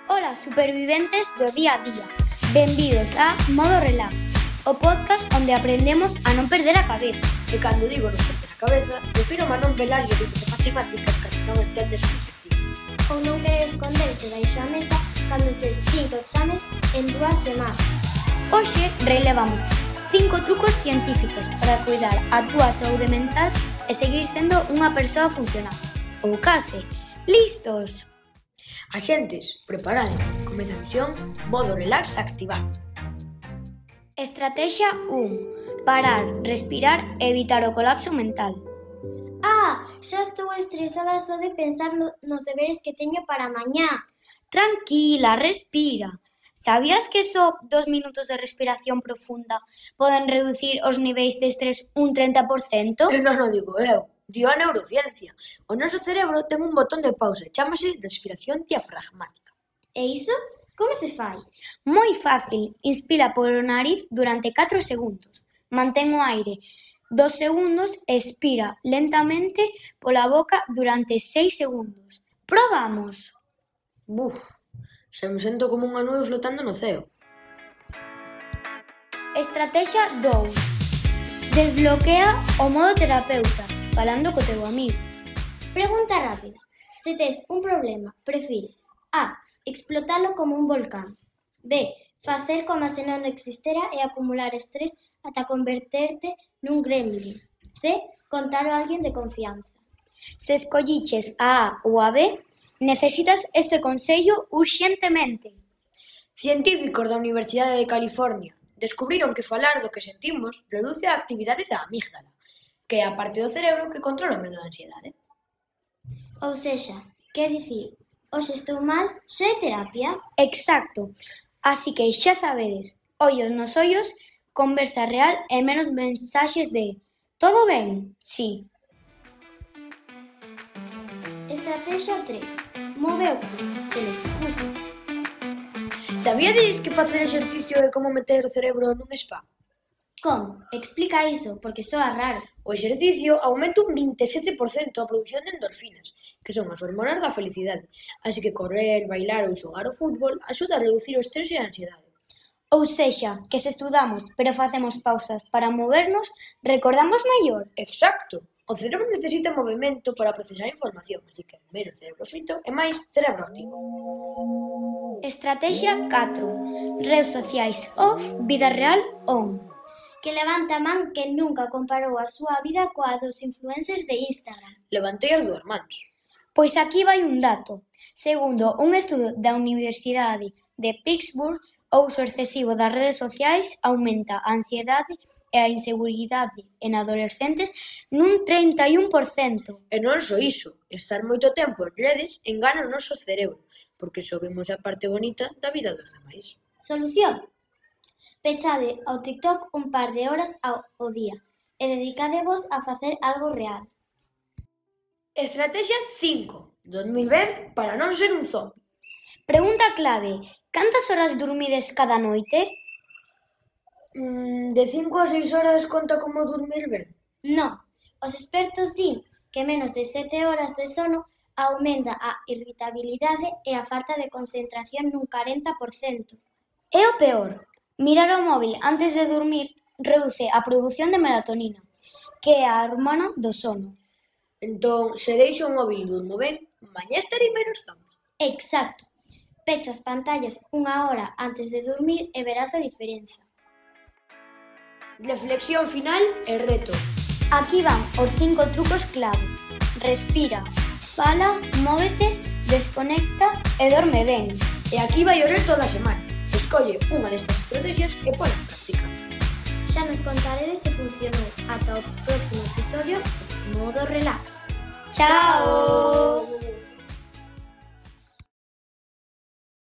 Ola, superviventes do día a día. Benvidos a Modo Relax, o podcast onde aprendemos a non perder a cabeza. E cando digo non perder a cabeza, refiro a non velar o libro de matemáticas cando non entendes o exercicio. Ou non querer esconderse baixo a mesa cando tes 5 exames en 2 semanas. Hoxe relevamos 5 trucos científicos para cuidar a túa saúde mental e seguir sendo unha persoa funcional. Ou case. Listos! Axentes, preparade. Comeza a misión Modo Relax activado. Estrategia 1. Parar, respirar e evitar o colapso mental. Xa estou estresada só de pensar nos deberes que teño para mañá. Tranquila, respira. Sabías que só 2 minutos de respiración profunda poden reducir os niveis de estrés un 30%? E non o digo eu, dio a neurociencia. O noso cerebro ten un botón de pausa, chámase respiración diafragmática. E iso? Como se fai? Moi fácil, inspira polo nariz durante 4 segundos, mantén o aire 2 segundos e expira lentamente pola boca durante 6 segundos. Probamos! Se me sento como unha nube flotando no ceo. Estrategia 2. Desbloquea o modo terapeuta, falando co teu amigo. Pregunta rápida. Se tes un problema, prefires A. Explotalo como un volcán. B. Facer como se non existera e acumular estrés ata converterte nun gremlin. C. Contalo a alguén de confianza. Se escolliches a A ou a B, necesitas este consello urxentemente. Científicos da Universidade de California descubriron que falar do que sentimos reduce a actividade da amígdala, que é a parte do cerebro que controla o medo da ansiedade. Ou sexa, quer dicir, hoxe estou mal, xa é terapia? Exacto. Así que xa sabedes, ollos nos ollos, conversa real e menos mensaxes de todo ben? Sí. Estrategia 3. Move o cu, sen excusas. Sabíades que facer exercicio é como meter o cerebro nun spa? Como? Explica iso, porque soa raro. O exercicio aumenta un 27% a produción de endorfinas, que son as hormonas da felicidade. Así que correr, bailar ou xogar ao fútbol axuda a reducir o estrés e a ansiedade. Ou sexa, que se estudamos pero facemos pausas para movernos, recordamos mellor. Exacto! O cerebro necesita movimento para procesar información, así que menos cerebro frito e máis cerebro activo. Estrategia 4. Redes sociais off, vida real on. Que levanta a man que nunca comparou a súa vida coa dos influencers de Instagram. Levantei as 2 mans. Pois aquí vai un dato. Segundo un estudo da Universidade de Pittsburgh, o uso excesivo das redes sociais aumenta a ansiedade e a inseguridade en adolescentes nun 31%. E non só iso, estar moito tempo en redes engana o noso cerebro, porque só vemos a parte bonita da vida dos demais. Solución? Pechade ao TikTok un par de horas ao día e dedicadevos a facer algo real. Estrategia 5. Dormir ben para non ser un zombi. Pregunta clave. Cantas horas dormides cada noite? De 5 a 6 horas conta como dormir ben? Non, os expertos din que menos de 7 horas de sono aumenta a irritabilidade e a falta de concentración nun 40%. E o peor, mirar o móvil antes de dormir reduce a produción de melatonina, que é a hormona do sono. Entón, se deixo o móvil e durmo ben, mañá estarei menos zombi. Exacto. Pecha as pantallas unha hora antes de dormir e verás a diferenza. Reflexión final e reto. Aquí van os 5 trucos clave. Respira, fala, móvete, desconecta e dorme ben. E aquí vai o reto da semana. Escolle unha destas estrategias e pon en práctica. Xa nos contaredes se funcionou. Ata o próximo episodio, Modo Relax. Chao!